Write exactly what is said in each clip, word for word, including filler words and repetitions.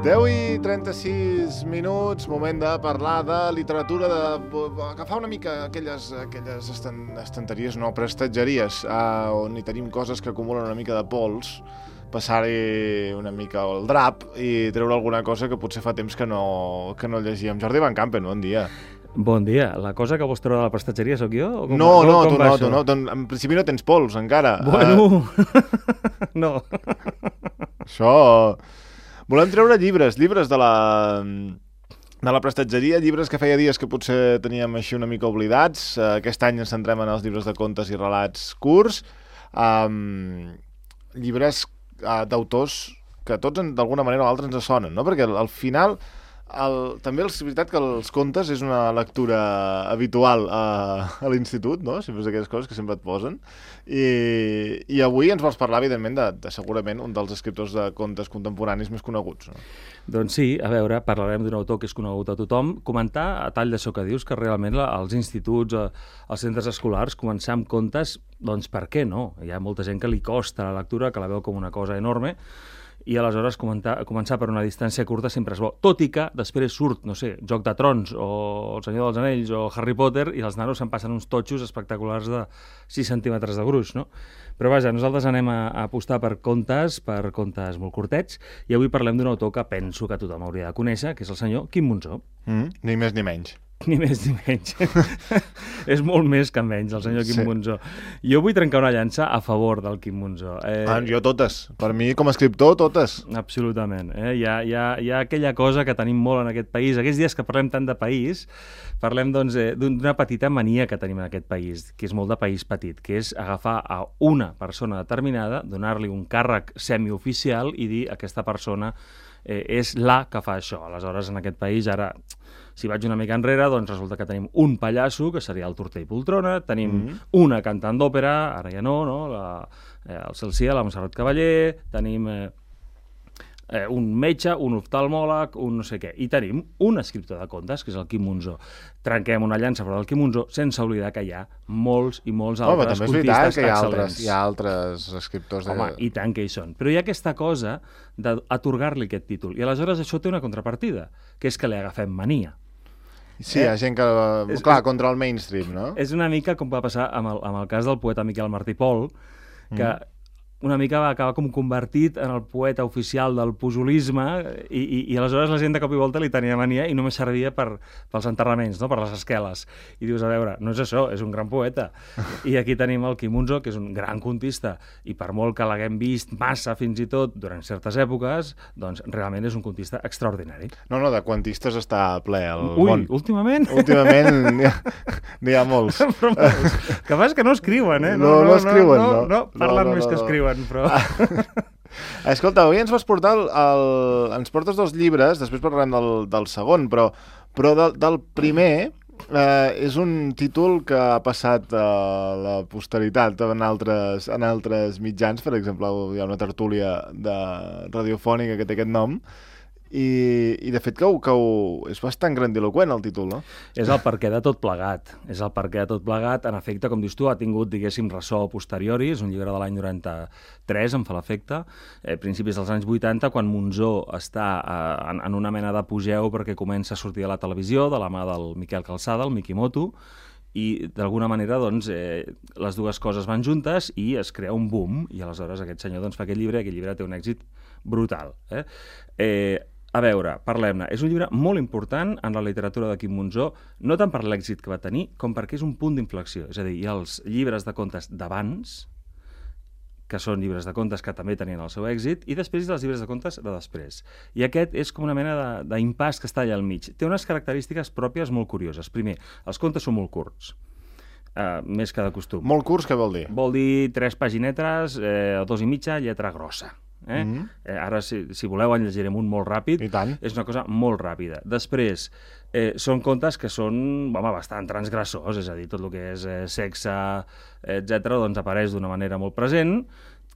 deu i trenta-sis minuts, moment de parlar de literatura, d'agafar una mica aquelles, aquelles estan, estanteries, no, prestatgeries, uh, on hi tenim coses que acumulen una mica de pols, passar-hi una mica el drap i treure alguna cosa que potser fa temps que no, que no llegíem. Jordi Van Campen, bon dia. Bon dia. La cosa que vols treure de la prestatgeria sóc jo? O com, no, com, no, com tu no, tu no. En principi no tens pols, encara. Bueno, uh... no. Això... Volem treure llibres, llibres de la, de la prestatgeria, llibres que feia dies que potser teníem així una mica oblidats. Aquest any ens centrem en els llibres de contes i relats curts. Um, llibres uh, d'autors que tots d'alguna manera o altra ens sonen, no? Perquè al, al final... El, també és veritat que els contes és una lectura habitual a, a l'institut, no? Sempre és aquelles coses que sempre et posen. I, i avui ens vols parlar, evidentment, de, de segurament un dels escriptors de contes contemporanis més coneguts, no? Doncs sí, a veure, parlarem d'un autor que és conegut a tothom. Comentar, a tall d'això que dius, que realment la, als instituts, a, als centres escolars, començar amb contes, doncs per què no? Hi ha molta gent que li costa la lectura, que la veu com una cosa enorme, i aleshores comentar, començar per una distància curta sempre és bo. Tot i que després surt, no sé, Joc de Trons o El Senyor dels Anells o Harry Potter i els nanos se'n passen uns totxos espectaculars de sis centímetres de gruix, no? Però vaja, nosaltres anem a, a apostar per contes, per contes molt curtets, i avui parlem d'un autor que penso que tothom hauria de conèixer, que és el senyor Quim Monzó. Mm, ni més ni menys. Ni més ni menys. És molt més que menys, el senyor Quim sí. Monzó. Jo vull trencar una llança a favor del Quim Monzó. Eh... Ah, jo totes. Per mi, com a escriptor, totes. Absolutament. Eh? Hi, ha, hi, ha, hi ha aquella cosa que tenim molt en aquest país. Aquests dies que parlem tant de país, parlem doncs, eh, d'una petita mania que tenim en aquest país, que és molt de país petit, que és agafar a una persona determinada, donar-li un càrrec semioficial i dir aquesta persona eh, és la que fa això. Aleshores, en aquest país, ara... Si vaig una mica enrere, doncs resulta que tenim un pallasso, que seria el Torter i Poltrona, tenim mm-hmm. una cantant d'òpera, ara ja no, no? La, eh, el Celsià, la Montserrat Cavaller, tenim eh, eh, un metge, un oftalmòleg, un no sé què, i tenim un escriptor de contes, que és el Quim Monzó. Trenquem una llança per al Quim Monzó, sense oblidar que hi ha molts i molts altres contistes excel·lents. Home, també és veritat que hi ha altres, hi ha altres escriptors de... Home, i tant que hi són. Però hi ha aquesta cosa d'atorgar-li aquest títol, i aleshores això té una contrapartida, que és que li agafem mania. Sí, hi ha gent que... És, clar, contra el mainstream, no? És una mica com va passar amb el, amb el cas del poeta Miquel Martí Pol, que mm. una mica va acabar com convertit en el poeta oficial del pujolisme i, i, i aleshores la gent de cop i volta li tenia mania i només servia per, pels enterraments, no? Per les esqueles. I dius, a veure, no és això, és un gran poeta. I aquí tenim el Quim Monzó, que és un gran contista, i per molt que l'haguem vist massa fins i tot durant certes èpoques, doncs realment és un contista extraordinari. No, no, de quantistes està ple el Ui, món. últimament? Últimament n'hi ha, n'hi ha molts. Però molts. Que fas que no escriuen, eh? No, no, no escriuen, no. No, no, parlen no, no, més no, que no. escriuen. Però... Escolta, avui ens vas portar el, el... ens portes dos llibres, després parlarem del, del segon, però, però del, del primer eh, és un títol que ha passat a la posteritat en altres, en altres mitjans. Per exemple, hi ha una tertúlia de radiofònica que té aquest nom i, i de fet que, ho, que ho, és bastant grandiloquent el títol, no? És el perquè de tot plegat. És el perquè de tot plegat. En efecte, com dius tu, ha tingut, diguéssim, ressò a posteriori. És un llibre de l'any noranta-tres, em fa l'efecte. Eh, principis dels anys vuitanta, quan Monzó està eh, en, en una mena d'apogeu perquè comença a sortir a la televisió de la mà del Miquel Calçada, el Mikimoto, i d'alguna manera doncs, eh, les dues coses van juntes i es crea un boom, i aleshores aquest senyor doncs, fa aquest llibre, i aquest llibre té un èxit brutal. Eh? Eh, A veure, parlem-ne. És un llibre molt important en la literatura de Quim Monzó, no tant per l'èxit que va tenir, com perquè és un punt d'inflexió. És a dir, hi ha els llibres de contes d'abans, que són llibres de contes que també tenien el seu èxit, i després els llibres de contes de després. I aquest és com una mena d'impàs que està allà al mig. Té unes característiques pròpies molt curioses. Primer, els contes són molt curts. Uh, més que de costum. Molt curts, què vol dir? Vol dir tres paginetes, eh, dos i mitja, lletra grossa. Eh? Mm-hmm. eh, ara, si, si voleu, en llegirem un molt ràpid. I tant. És una cosa molt ràpida. Després, eh, són contes que són home, bastant transgressors, és a dir, tot el que és eh, sexe, etcètera, doncs apareix d'una manera molt present,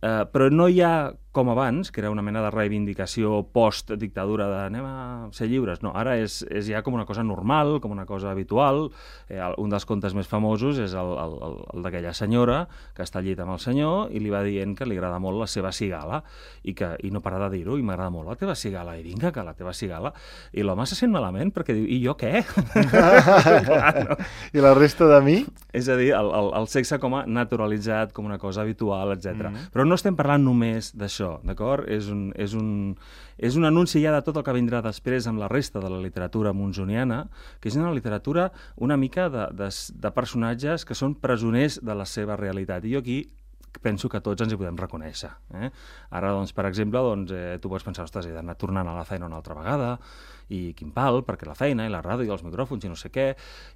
eh, però no hi ha com abans, que era una mena de reivindicació post-dictadura de anem a ser lliures. No, ara és, és ja com una cosa normal, com una cosa habitual. Eh, un dels contes més famosos és el, el, el, el d'aquella senyora que està al llit amb el senyor i li va dient que li agrada molt la seva cigala i, que, i no para de dir-ho, i m'agrada molt la teva cigala, i vinga, que la teva cigala. I l'home se sent malament perquè diu, i jo què? Clar, no? I la resta de mi? És a dir, el, el, el sexe com a naturalitzat, com una cosa habitual, etcètera. Mm-hmm. Però no estem parlant només d'això, d'acord? És un, és, un, és un anunci ja de tot el que vindrà després amb la resta de la literatura monsoniana, que és una literatura una mica de, de, de personatges que són presoners de la seva realitat. I jo aquí penso que tots ens hi podem reconèixer. Eh? Ara, doncs, per exemple, doncs, eh, tu pots pensar, ostres, he d'anar tornant a la feina una altra vegada, i quin pal, perquè la feina i la ràdio i els micròfons i no sé què,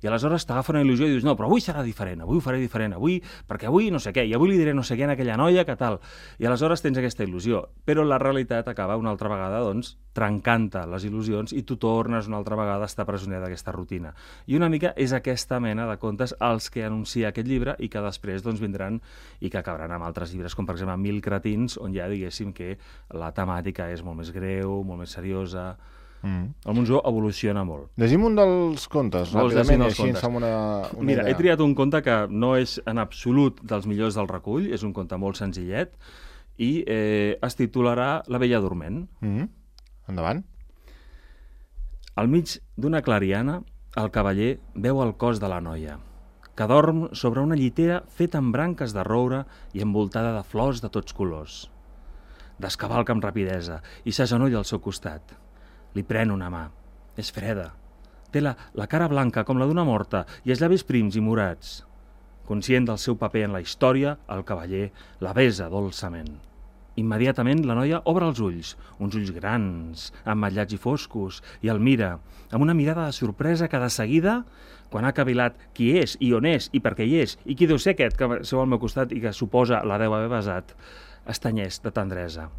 i aleshores t'agafa una il·lusió i dius, no, però avui serà diferent, avui ho faré diferent, avui, perquè avui no sé què, i avui li diré no sé què a aquella noia, que tal, i aleshores tens aquesta il·lusió, però la realitat acaba una altra vegada, doncs, trencant-te les il·lusions i tu tornes una altra vegada a estar presoner d'aquesta rutina. I una mica és aquesta mena de contes els que anuncia aquest llibre i que després doncs, vindran i que acabaran amb altres llibres, com per exemple Mil cretins, on ja diguéssim que la temàtica és molt més greu, molt més seriosa. Mm. El Monzó evoluciona molt. Llegim un dels contes, Vols ràpidament, i dels així contes? ens fem una, una Mira, idea. he triat un conte que no és en absolut dels millors del recull, és un conte molt senzillet, i eh, es titularà La vella dorment. Mm-hmm. Endavant. Al mig d'una clariana, el cavaller veu el cos de la noia, que dorm sobre una llitera feta amb branques de roure i envoltada de flors de tots colors. Descavalca amb rapidesa i s'agenolla al seu costat. Li pren una mà. És freda. Té la, la cara blanca com la d'una morta i els llavis prims i morats. Conscient del seu paper en la història, el cavaller la besa dolçament. Immediatament la noia obre els ulls, uns ulls grans, ametllats i foscos, i el mira, amb una mirada de sorpresa que de seguida, quan ha cavilat qui és i on és i per què hi és i qui deu ser aquest que seu al meu costat i que suposa la deu haver besat, estanyeix de tendresa.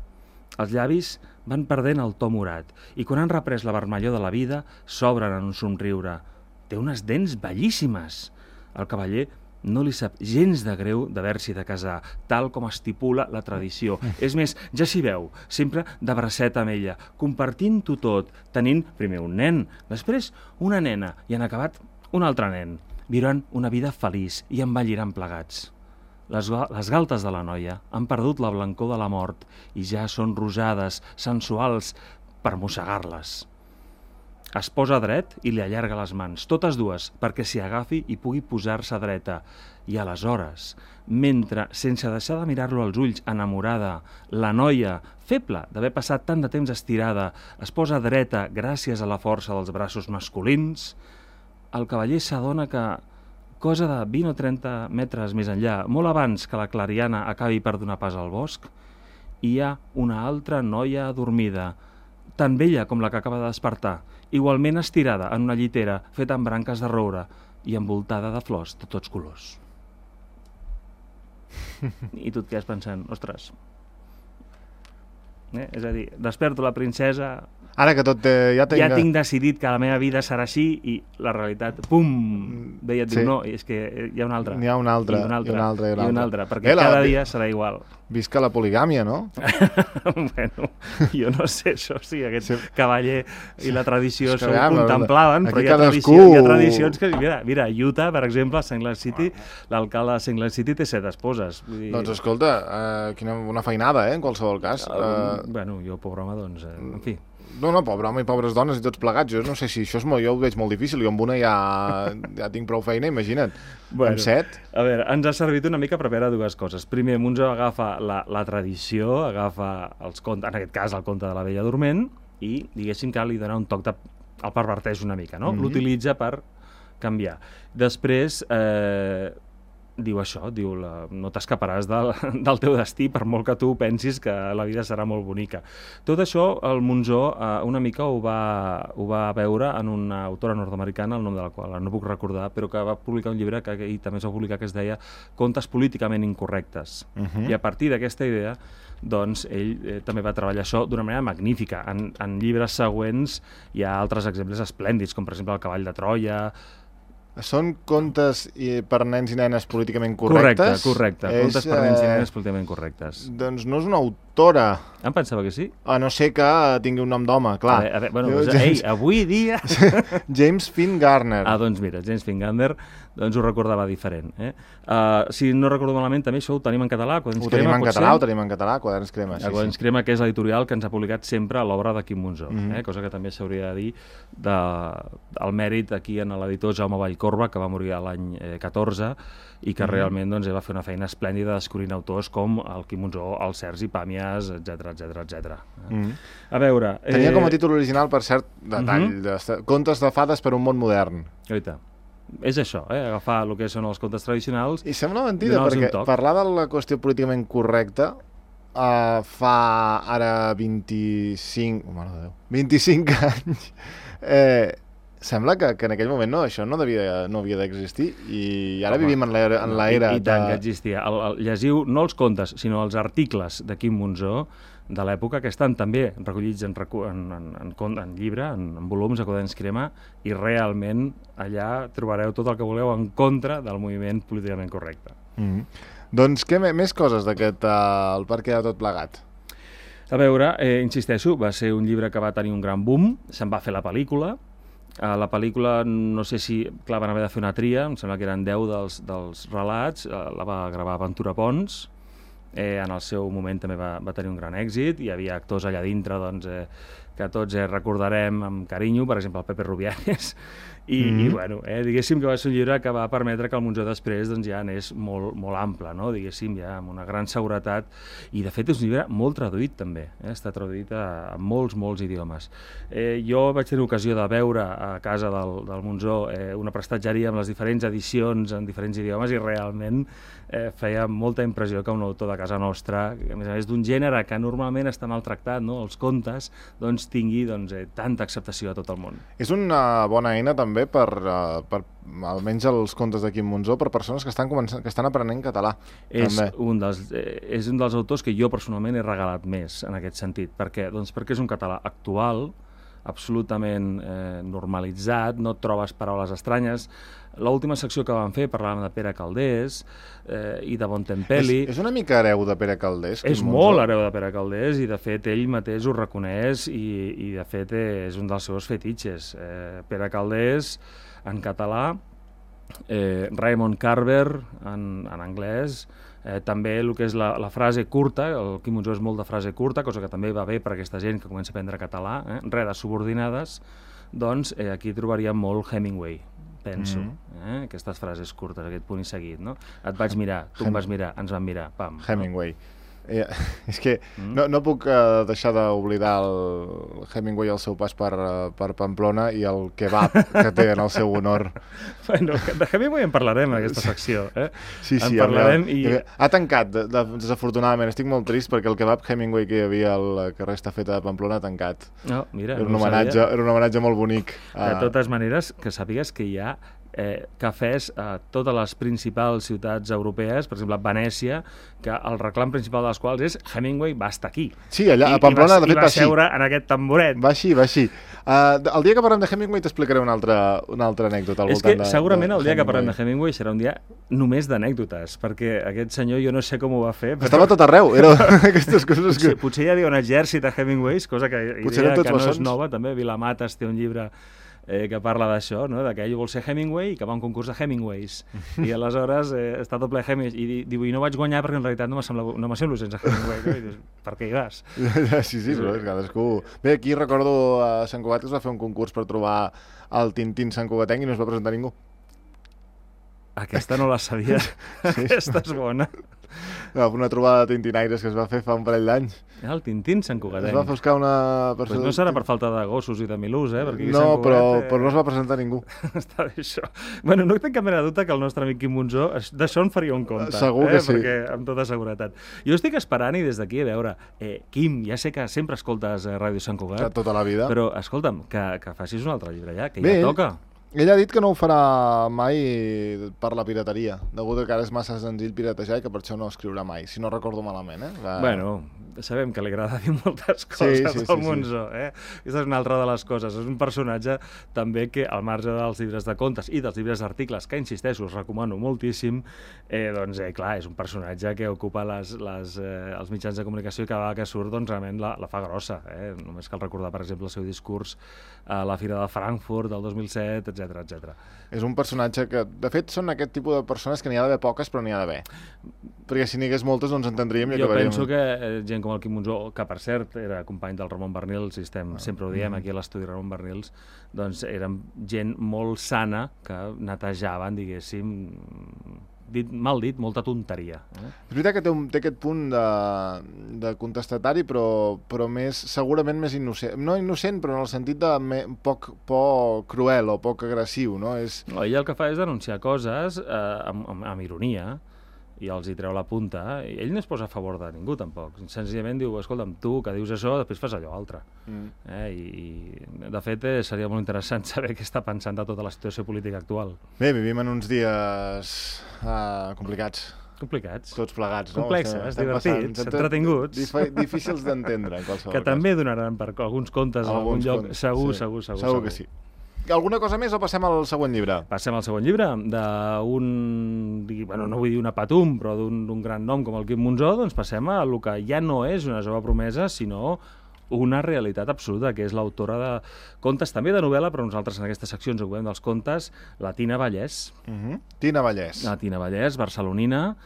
Els llavis van perdent el to morat i quan han reprès la vermellor de la vida s'obren en un somriure. Té unes dents bellíssimes. El cavaller no li sap gens de greu d'haver-s'hi de casar, tal com estipula la tradició. És més, ja s'hi veu, sempre de bracet amb ella, compartint-ho tot, tenint primer un nen, després una nena i en acabat un altre nen. Viuran una vida feliç i envelliran plegats. Les, les galtes de la noia han perdut la blancor de la mort i ja són rosades, sensuals, per mossegar-les. Es posa dret i li allarga les mans, totes dues, perquè s'hi agafi i pugui posar-se dreta. I aleshores, mentre, sense deixar de mirar-lo als ulls, enamorada, la noia, feble d'haver passat tant de temps estirada, es posa dreta gràcies a la força dels braços masculins, el cavaller s'adona que cosa de vint o trenta metres més enllà, molt abans que la clariana acabi per donar pas al bosc, hi ha una altra noia adormida, tan bella com la que acaba de despertar, igualment estirada en una llitera feta amb branques de roure i envoltada de flors de tots colors. I tu et quedes pensant, ostres, eh? És a dir, desperto la princesa... Ara que tot eh, ja tinc... Ja tinc decidit que la meva vida serà així i la realitat, pum, ve i et diu, Sí. no, és que hi ha una altra. N'hi ha una altra, I una altra, i una altra, i una i una altra. altra, perquè Eh, la- cada dia serà igual. Visca la poligàmia, no? Bueno, jo no sé això, sí, aquest Sí. cavaller i la tradició És que, s'ho veiem, contemplaven, aquí però hi ha, cadascú- tradició, hi ha tradicions que... Mira, mira, Utah, per exemple, a Saint Lake City, l'alcalde de Saint Lake City té set esposes. Vull dir, Doncs escolta, eh, quina, una feinada, eh, en qualsevol cas. eh, Eh, bueno, jo, pobre home, doncs, eh, en fi... no, no, pobre home i pobres dones i tots plegats. Jo no sé si això és molt, jo ho veig molt difícil. Jo amb una ja, ja tinc prou feina, imagina't. Bueno, Amb set... A veure, ens ha servit una mica per veure dues coses. Primer, Monzó agafa la, la tradició, agafa els contes, en aquest cas el conte de la Bella Dorment, i diguéssim que li dona un toc de... el perverteix una mica, no? Mhm. L'utilitza per canviar. Després, eh, diu això, diu, la, no t'escaparàs del, del teu destí per molt que tu pensis que la vida serà molt bonica. Tot això el Monzó eh, una mica ho va, ho va veure en una autora nord-americana, el nom de la qual no puc recordar, però que va publicar un llibre que ell també es va publicar que es deia Contes políticament incorrectes. Mhm. I a partir d'aquesta idea doncs ell eh, també va treballar això d'una manera magnífica. En, en llibres següents hi ha altres exemples esplèndids, com per exemple El cavall de Troia. Són contes i, per nens i nenes políticament correctes? Correcte, correcte. És, Contes per nens i eh, nenes políticament correctes. Doncs no és un autor autora. Em pensava que sí. A no ser que tingui un nom d'home, clar. A veure, a veure, bueno, doncs, ei, avui dia... James Finn Garner. Ah, doncs mira, James Finn Garner, doncs ho recordava diferent. Eh? Uh, si no recordo malament, també això ho tenim en català. Ho tenim en català, ho tenim en català, Quaderns Crema. Sí, Quaderns Crema, sí. Que és l'editorial que ens ha publicat sempre l'obra de Quim Monzó, mm -hmm. eh? Cosa que també s'hauria de dir de, el mèrit aquí en l'editor Jaume Vallcorba, que va morir l'any eh, catorze, i que mm -hmm. realment doncs, va fer una feina esplèndida descobrint autors com el Quim Monzó, el Sergi Pàmies, etcètera, etcètera, etcètera. Mm -hmm. A veure... Tenia eh... com a títol original, per cert, detall, mm -hmm. de Contes de fades per un món modern. Oita. És això, eh? Agafar el que són els contes tradicionals... I sembla mentida, perquè parlar de la qüestió políticament correcta uh, fa ara vint-i-cinc... Oh, mare de Déu, vint-i-cinc anys... Eh, sembla que, que en aquell moment no, això no, devia, no havia d'existir i ara Home, vivim en l'era en l'era I, i tant de... que existia. El, el, llegiu no els contes, sinó els articles de Quim Monzó de l'època, que estan també recollits en, en, en, en, en llibre, en, en volums de Quaderns Crema, i realment allà trobareu tot el que voleu en contra del moviment políticament correcte. Mm-hmm. Doncs què més coses d'aquest uh, El perquè de tot plegat? A veure, eh, insisteixo, va ser un llibre que va tenir un gran boom, se'n va fer la pel·lícula. Uh, la pel·lícula, no sé si, clar, van haver de fer una tria, em sembla que eren deu dels, dels relats, uh, la va gravar Ventura Pons, eh, en el seu moment també va, va tenir un gran èxit, hi havia actors allà dintre doncs, eh, que tots eh, recordarem amb carinyo, per exemple el Pepe Rubianes, i, mm -hmm. i bueno, eh, diguéssim que va ser un llibre que va permetre que el Monzó després doncs, ja anés molt, molt ample, no? Diguéssim, ja amb una gran seguretat, i de fet és un llibre molt traduït també, eh? Està traduït a, a molts, molts idiomes. Eh, jo vaig tenir ocasió de veure a casa del, del Monzó eh, una prestatgeria amb les diferents edicions en diferents idiomes i realment eh, feia molta impressió que un autor de casa nostra, a més a més d'un gènere que normalment està maltractat, no? Els contes, doncs tingui doncs, eh, tanta acceptació a tot el món. És una bona eina també per, uh, per almenys els contes de Quim Monzó per persones que estan començant, que estan aprenent català. És també. un, dels, eh, és un dels autors que jo personalment he regalat més en aquest sentit. Per què? Doncs perquè és un català actual, absolutament eh, normalitzat, no et trobes paraules estranyes. L'última secció que vam fer parlàvem de Pere Calders eh, i de Bontempelli. És, és una mica hereu de Pere Calders? És molt hereu de Pere Calders i de fet ell mateix ho reconeix i, i de fet és un dels seus fetitxes. Eh, Pere Calders en català, eh, Raymond Carver en, en anglès, eh, també el que és la, la frase curta, el Quim Monzó és molt de frase curta, cosa que també va bé per aquesta gent que comença a aprendre català, eh, redes subordinades, doncs eh, aquí trobaríem molt Hemingway, penso, mm -hmm. eh? Aquestes frases curtes, aquest punt i seguit, no? Et vaig mirar, tu Hem... em vas mirar, ens vam mirar, pam. Hemingway. No? Eh, és que mm. no, no puc uh, deixar d'oblidar el Hemingway al seu pas per, uh, per Pamplona i el kebab que té en el seu honor. Bueno, de Hemingway en parlarem en aquesta secció, eh? Sí, sí. En parlarem i... Ha tancat, de, de, desafortunadament, estic molt trist perquè el kebab Hemingway que hi havia al carrer Estafeta de Pamplona ha tancat. No, mira, era un, no homenatge, era un homenatge molt bonic. De totes maneres, que sàpigues que hi ha Eh, cafès a totes les principals ciutats europees, per exemple a Venècia, que el reclam principal dels quals és Hemingway va estar aquí. Sí, allà I, a Pamplona, i va, de fet, va, va així. I va seure en aquest tamboret. Va així, va així. Uh, el dia que parlem de Hemingway t'explicaré una altra, una altra anècdota al és voltant que de, segurament de el dia Hemingway. que parlem de Hemingway serà un dia només d'anècdotes, perquè aquest senyor jo no sé com ho va fer. Però... Estava tot arreu, era aquestes coses que... Potser, potser hi havia un exèrcit de Hemingways, cosa que, idea que no bessons. És nova, també. Vilamatas té un llibre Eh, que parla d'això, no? De que ell vol ser Hemingway i que va a un concurs de Hemingways. I aleshores eh, està tot ple de Hemingways. I diu, i no vaig guanyar perquè en realitat no m'assemblo no sense Hemingway. No? I dius, per què hi vas? Sí, sí, però és cadascú... Bé, aquí recordo a Sant Cugat que es va fer un concurs per trobar el Tintín Sant Cugatenc i no es va presentar ningú. Aquesta no la sabia. Sí. Aquesta és bona. No, una trobada de tintinaires que es va fer fa un parell d'anys. El Tintín Sant Cugatenc. Es va buscar una persona... Pues no serà per falta de gossos i de milús, eh? Perquè no, Cugat, però, eh... però no es va presentar ningú. Està bé, això. Bueno, no tinc cap mena de dubte que el nostre amic Quim Monzó d'això en faria un compte. Segur que eh? sí. Perquè, amb tota seguretat. Jo estic esperant i des d'aquí a veure, eh, Quim, ja sé que sempre escoltes eh, Ràdio Sant Cugat. Tota la vida. Però, escolta'm, que, que facis un altre llibre ja, que bé, ja toca. Ell ha dit que no ho farà mai per la pirateria, degut a que ara és massa senzill piratejar i que per això no escriurà mai, si no recordo malament, eh? Va... Bueno, sabem que li agrada dir moltes coses sí, sí, al sí, Monzó, eh? Aquesta és una altra de les coses. És un personatge també que, al marge dels llibres de contes i dels llibres d'articles, que insisteixo, us recomano moltíssim, eh, doncs, eh, clar, és un personatge que ocupa les, les, eh, els mitjans de comunicació i cada vegada que surt, doncs, realment la, la fa grossa. Eh? Només cal recordar, per exemple, el seu discurs a la Fira de Frankfurt del dos mil set, etcètera, etcètera. És un personatge que, de fet, són aquest tipus de persones que n'hi ha d'haver poques, però n'hi ha d'haver. Perquè si n'hi hagués moltes no ens entendríem i jo acabaríem... penso que eh, gent com el Quim Monzó, que per cert era company del Ramon Bernils, i estem, sempre ho diem aquí a l'estudi Ramon Bernils, doncs eren gent molt sana que netejaven, diguéssim, dit, mal dit, molta tonteria. Eh? És veritat que té, un, té aquest punt de, de contestatari, però, però més, segurament més innocent. No innocent, però en el sentit de me, poc, poc cruel o poc agressiu, no? És... No, ell el que fa és denunciar coses eh, amb, amb, amb ironia, i els hi treu la punta. Ell no es posa a favor de ningú, tampoc. Senzillament diu, escolta'm, tu que dius això, després fas allò altre. Mm. Eh? I, I, de fet, eh, seria molt interessant saber què està pensant de tota la situació política actual. Bé, vivim en uns dies uh, complicats. Complicats. Tots plegats, no? Complexes, estem, divertits, passant, entretinguts. Dif difícils d'entendre, en qualsevol que cas. també donaran per alguns contes en algun lloc. Contes, segur, sí. segur, segur, segur. Segur que sí. Alguna cosa més o passem al següent llibre? Passem al següent llibre, d'un, bueno, no vull dir una patum, però d'un gran nom com el Quim Monzó, doncs passem a el que ja no és una jove promesa, sinó una realitat absoluta, que és l'autora de contes, també de novel·la, però nosaltres en aquesta secció ens ocupem dels contes, la Tina Vallès. Uh -huh. Tina Vallès. La Tina Vallès, barcelonina,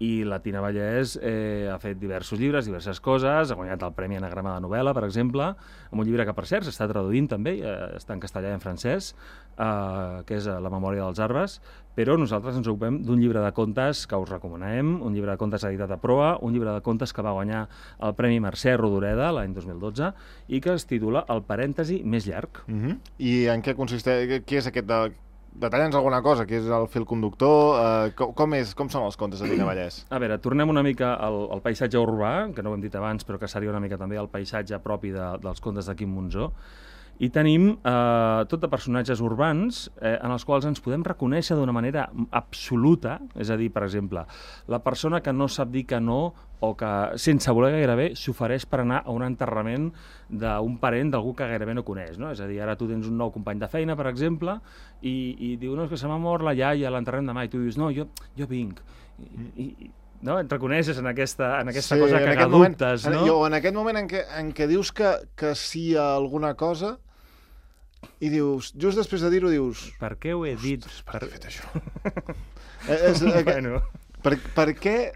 i la Tina Vallès eh, ha fet diversos llibres, diverses coses, ha guanyat el Premi Anagrama de Novel·la, per exemple, amb un llibre que, per cert, s'està traduint també, eh, està en castellà i en francès, eh, que és La memòria dels arbres, però nosaltres ens ocupem d'un llibre de contes que us recomanem, un llibre de contes editat a Proa, un llibre de contes que va guanyar el Premi Mercè Rodoreda l'any dos mil dotze i que es titula El parèntesi més llarg. Uh -huh. I en què consisteix? Què és aquest de... Detalla'ns alguna cosa, que és el fil conductor, eh, com, com, és, com són els contes de Tina Vallès? A veure, tornem una mica al, al paisatge urbà, que no ho hem dit abans, però que seria una mica també el paisatge propi de, dels contes de Quim Monzó, i tenim eh, tot de personatges urbans eh, en els quals ens podem reconèixer d'una manera absoluta, és a dir, per exemple, la persona que no sap dir que no o que, sense voler gairebé, s'ofereix per anar a un enterrament d'un parent d'algú que gairebé no coneix, no? És a dir, ara tu tens un nou company de feina, per exemple, i, i diu, no, és que se m'ha mort la iaia, l'enterrem demà, i tu dius, no, jo, jo vinc. I, i, no? Et reconeixes en aquesta, en aquesta sí, cosa que adoptes, moment, no? Jo, en aquest moment en què, en què dius que, que sí a alguna cosa i dius, just després de dir-ho dius... Per què ho he dit? Ostres, per què he fet això? és, és, bueno. per, per què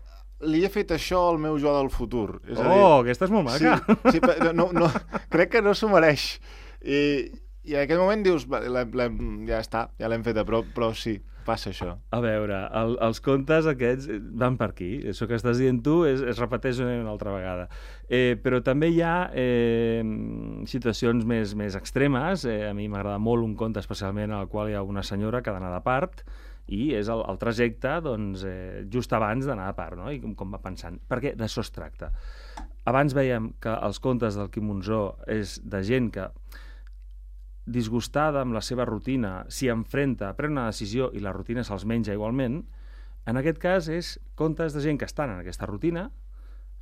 li he fet això al meu jo del futur? És oh, a dir, aquesta és molt maca. Sí, sí, no, no, crec que no s'ho mereix. I, I en aquest moment dius, ja està, ja l'hem feta, però, però sí, passa això. A veure, el, els contes aquests van per aquí. Això que estàs dient tu es, es repeteix una altra vegada. Eh, però també hi ha eh, situacions més, més extremes. Eh, a mi m'agrada molt un conte especialment en el qual hi ha una senyora que ha d'anar de part i és el, el trajecte doncs, eh, just abans d'anar de part, no? I com, com va pensant. Perquè d'això es tracta. Abans veiem que els contes del Quim Monzó és de gent que disgustada amb la seva rutina, s'hi enfrenta, pren una decisió i la rutina se'ls menja igualment. En aquest cas és contes de gent que estan en aquesta rutina,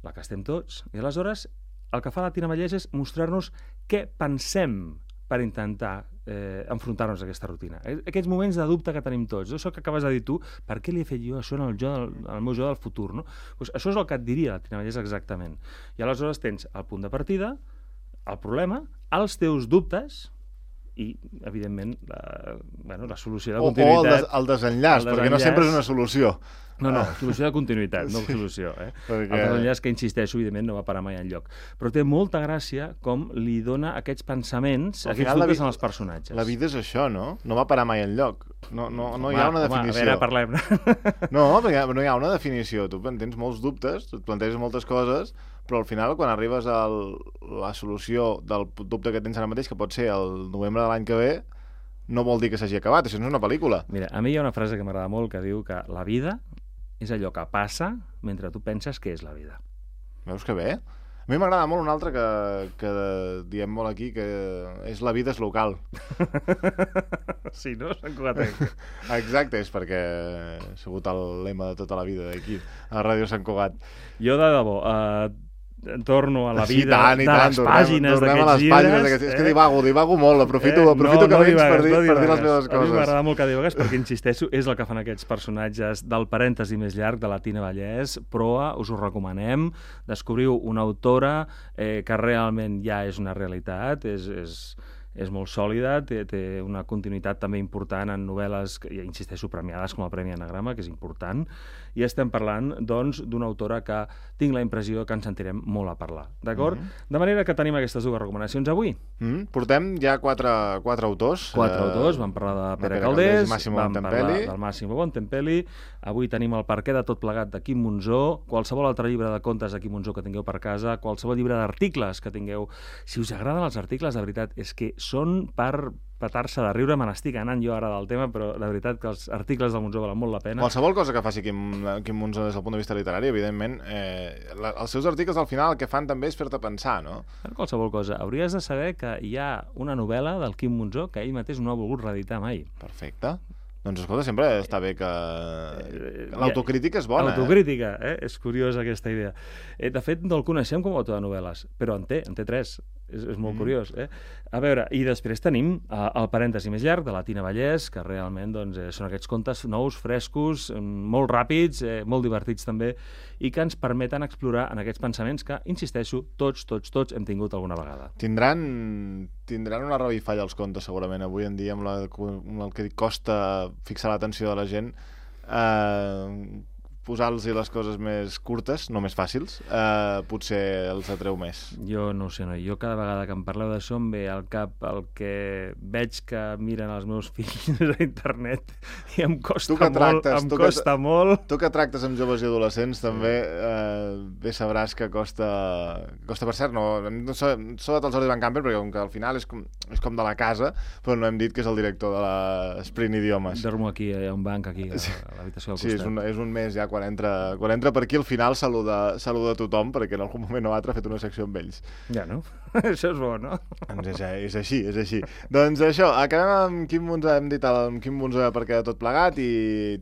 la que estem tots, i aleshores el que fa la Tina Vallès és mostrar-nos què pensem per intentar eh, enfrontar-nos a aquesta rutina. Aquests moments de dubte que tenim tots, això que acabes de dir tu, per què li he fet jo això en el, jo del, en el meu jo del futur? No? Pues això és el que et diria la Tina Vallès exactament. I aleshores tens el punt de partida, el problema, els teus dubtes, i, evidentment, la, bueno, la solució de continuïtat... O el, des, el desenllaç, el perquè desenllaç, no sempre és una solució. No, no, solució de continuïtat, no sí, solució. Eh? Perquè... El desenllaç que, insisteixo, evidentment, no va parar mai enlloc. Però té molta gràcia com li dona aquests pensaments, al aquests dubtes en els personatges. La vida és això, no? No va parar mai enlloc. No, no, no home, hi ha una definició. Home, a veure, parlem. No, perquè no hi ha una definició. Tu tens molts dubtes, et planteges moltes coses, però al final, quan arribes a la solució del dubte que tens ara mateix, que pot ser el novembre de l'any que ve, no vol dir que s'hagi acabat, això no és una pel·lícula. Mira, a mi hi ha una frase que m'agrada molt que diu que la vida és allò que passa mentre tu penses que és la vida. Veus que bé? A mi m'agrada molt un altre que, que diem molt aquí, que és la vida és local. Sí, no? Sant Cugatenc. Exacte, és perquè ha sigut el lema de tota la vida d'aquí, a Ràdio Sant Cugat. Jo, de debò, eh, torno a la Sí, vida tant, i de tant, les tornem, pàgines tornem a d'aquests les pàgines llibres. d'aquests... És que divago, divago molt, aprofito, Eh, aprofito no, que no vens divagues, per dir, no per dir les divagues. meves A mi coses. m'agrada molt que divagues perquè, insisteixo, és el que fan aquests personatges del parèntesi més llarg de la Tina Vallès, proa, us ho recomanem, descobriu una autora eh, que realment ja és una realitat, és... és és molt sòlida, té, té una continuïtat també important en novel·les, que, ja insisteixo, premiades com el Premi Anagrama, que és important, i estem parlant, doncs, d'una autora que tinc la impressió que ens sentirem molt a parlar, d'acord? Mm-hmm. De manera que tenim aquestes dues recomanacions avui. Mm-hmm. Portem ja quatre, quatre autors. Quatre eh, autors, vam parlar de Pere, Pere Calders, Calders i Massimo vam Bontempelli. parlar del Massimo Bontempelli, avui tenim el perquè de tot plegat de Quim Monzó, qualsevol altre llibre de contes de Quim Monzó que tingueu per casa, qualsevol llibre d'articles que tingueu. Si us agraden els articles, de veritat, és que són per petar-se de riure, me n'estic anant jo ara del tema, però la veritat que els articles del Monzó valen molt la pena. Qualsevol cosa que faci Quim, Quim Monzó des del punt de vista literari, evidentment, eh, la, els seus articles al final el que fan també és fer-te pensar, no? Qualsevol cosa. Hauries de saber que hi ha una novel·la del Quim Monzó que ell mateix no ha volgut reeditar mai. Perfecte. Doncs escolta, sempre està bé que... L'autocrítica és bona, L'autocrítica, eh? És curiosa aquesta idea. Eh, de fet, no el coneixem com a autor de novel·les, però en té, en té tres. És, és molt mm. curiós, eh? A veure, i després tenim uh, el parèntesi més llarg de la Tina Vallès, que realment doncs, eh, són aquests contes nous, frescos, molt ràpids, eh, molt divertits també, i que ens permeten explorar en aquests pensaments que, insisteixo, tots, tots, tots hem tingut alguna vegada. Tindran, tindran una revifalla els contes, segurament, avui en dia, amb, la, amb el que costa fixar l'atenció de la gent, eh, posar-los les coses més curtes, no més fàcils, eh, potser els atreu més. Jo no ho sé, no. Jo cada vegada que em parleu d'això em ve al cap el que veig que miren els meus fills a internet i em costa molt, tractes, em costa que, molt. Tu que tractes amb joves i adolescents també eh, bé sabràs que costa, costa per cert, no, no sobretot el Jordi Van Campen, perquè com que al final és com, és com de la casa, però no hem dit que és el director de l'Sprint Idiomes. Dormo aquí, hi ha un banc aquí, a l'habitació del costat. Sí, és un, és un mes ja quan entra, quan entra per aquí al final saluda, saluda tothom perquè en algun moment o altre ha fet una secció amb ells. Ja, no? Això és bo, no? Doncs és, és així, és així. Doncs això, acabem amb Quim Monzó, hem dit el, amb Quim Monzó perquè de tot plegat i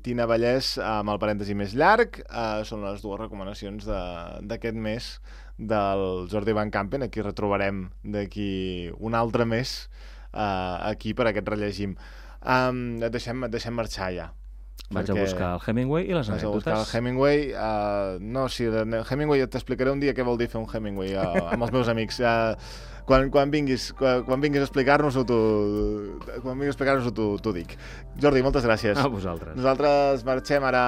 Tina Vallès amb el parèntesi més llarg. Uh, són les dues recomanacions d'aquest mes del Jordi Van Campen. Aquí retrobarem d'aquí un altre mes uh, aquí per aquest rellegim. Um, et, deixem, et deixem marxar ja. Vaig a buscar el Hemingway i les anècdotes. Vaig a buscar el Hemingway. Uh, no, sí, el Hemingway t'explicaré un dia què vol dir fer un Hemingway uh, amb els meus amics. Uh, quan, quan vinguis, quan, quan vinguis a explicar-nos-ho, quan vinguis a explicar-nos-ho, t'ho dic. Jordi, moltes gràcies. A vosaltres. Nosaltres marxem ara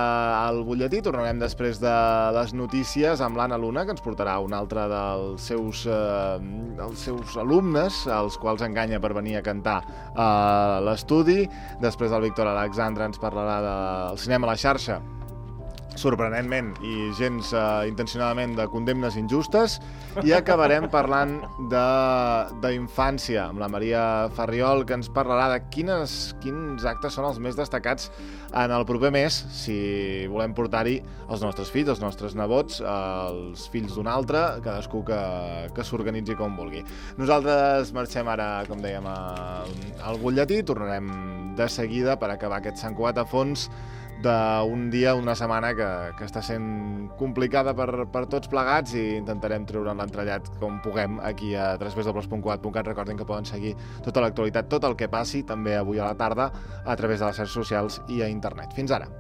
al butlletí, tornarem després de les notícies amb l'Anna Luna, que ens portarà un altre dels seus, uh, dels seus alumnes, els quals enganya per venir a cantar a l'estudi. Després el Víctor Alexandre ens parlarà del cinema a la xarxa, sorprenentment i gens uh, intencionadament de condemnes injustes, i acabarem parlant d'infància amb la Maria Farriol, que ens parlarà de quines, quins actes són els més destacats en el proper mes, si volem portar-hi els nostres fills, els nostres nebots, els fills d'un altre, cadascú que, que s'organitzi com vulgui. Nosaltres marxem ara, com dèiem, al, al butlletí, tornarem de seguida per acabar aquest Sant Cugat a fons d'un dia, una setmana que, que està sent complicada per, per tots plegats, i intentarem treure l'entrellat com puguem aquí a w w w punt cugat punt cat. Recordin que poden seguir tota l'actualitat, tot el que passi, també avui a la tarda, a través de les xarxes socials i a internet. Fins ara!